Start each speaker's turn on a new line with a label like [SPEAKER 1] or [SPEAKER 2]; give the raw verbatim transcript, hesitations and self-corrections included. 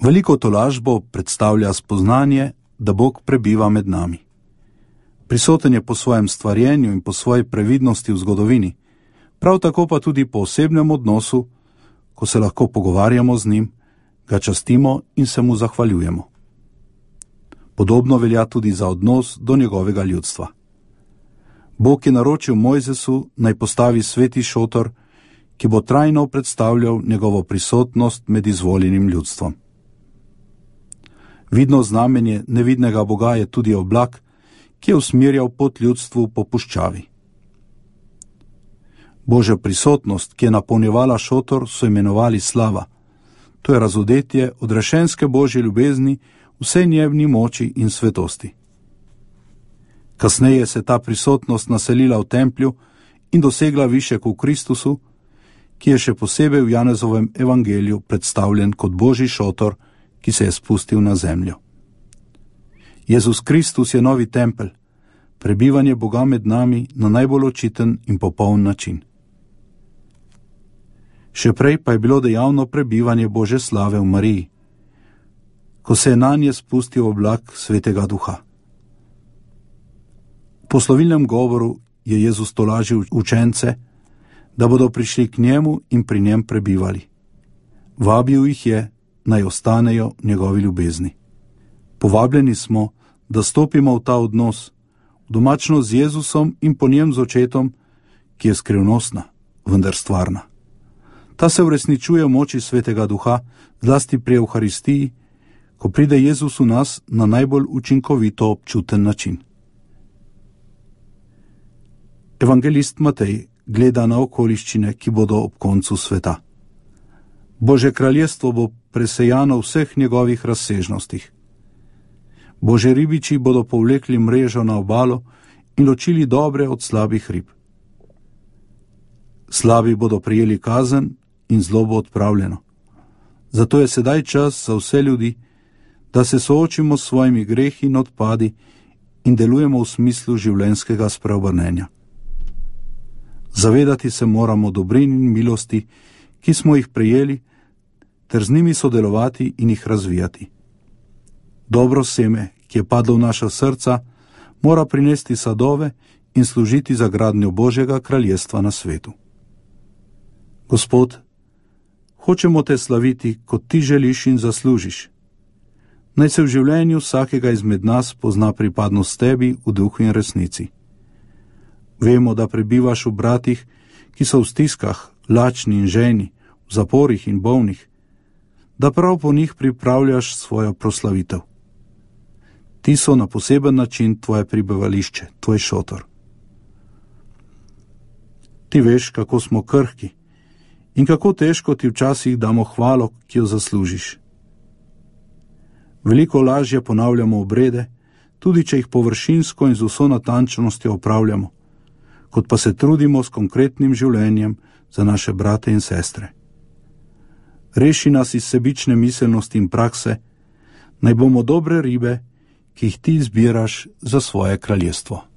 [SPEAKER 1] Veliko tolažbo predstavlja spoznanje, da Bog prebiva med nami. Prisoten je po svojem stvarjenju in po svoji previdnosti v zgodovini, prav tako pa tudi po osebnem odnosu, ko se lahko pogovarjamo z njim, ga častimo in se mu zahvaljujemo. Podobno velja tudi za odnos do njegovega ljudstva. Bog je naročil Mojzesu naj postavi sveti šotor, ki bo trajno predstavljal njegovo prisotnost med izvoljenim ljudstvom. Vidno znamenje nevidnega Boga je tudi oblak, ki je usmerjal pot ljudstvu po puščavi. Božja prisotnost, ki je napolnjevala šotor, so imenovali slava. To je razodetje odrešenske Božje ljubezni, vsej njevni moči in svetosti. Kasneje se ta prisotnost naselila v templju in dosegla višek v Kristusu, ki je še posebej v Janezovem evangeliju predstavljen kot Božji šotor, ki se je spustil na zemljo. Jezus Kristus je novi tempelj, prebivanje Boga med nami na najbolj očiten in popoln način. Še prej pa je bilo dejavno prebivanje Božje slave v Mariji, ko se je nanje spustil oblak Svetega Duha. V poslovilnem govoru je Jezus tolažil učence, da bodo prišli k njemu in pri njem prebivali. Vabil jih je, naj ostanejo v njegovi ljubezni. Povabljeni smo, da stopimo v ta odnos, v domačno z Jezusom in po njem z očetom, ki je skrivnostna, vendar stvarna. Ta se uresničuje v moči Svetega Duha, zlasti pri Evharistiji, ko pride Jezus v nas na najbolj učinkovito občuten način. Evangelist Matej gleda na okoliščine, ki bodo ob koncu sveta. Božje kraljestvo bo presejano v vseh njegovih razsežnostih. Božji ribiči bodo povlekli mrežo na obalo in ločili dobre od slabih rib. Slabi bodo prijeli kazen in zlo bo odpravljeno. Zato je sedaj čas za vse ljudi, da se soočimo s svojimi grehi in odpadi in delujemo v smislu življenjskega spreobrnenja. Zavedati se moramo dobrin in milosti, ki smo jih prejeli, ter z njimi sodelovati in jih razvijati. Dobro seme, ki je padlo v naša srca, mora prinesti sadove in služiti za gradnjo Božjega kraljestva na svetu. Gospod, hočemo te slaviti, kot ti želiš in zaslužiš. Naj se v življenju vsakega izmed nas pozna pripadnost tebi v duhu in resnici. Vemo, da prebivaš v bratih, ki so v stiskah, lačni in žejni, v zaporih in bolnih, da prav po njih pripravljaš svojo proslavitev. Ti so na poseben način tvoje prebivališče, tvoj šotor. Ti veš, kako smo krhki in kako težko ti včasih damo hvalo, ki jo zaslužiš. Veliko lažje ponavljamo obrede, tudi če jih površinsko in z vso natančnostjo opravljamo, kot pa se trudimo s konkretnim življenjem za naše brate in sestre. Reši nas iz sebične miselnosti in prakse, naj bomo dobre ribe, ki jih ti izbiraš za svoje kraljestvo.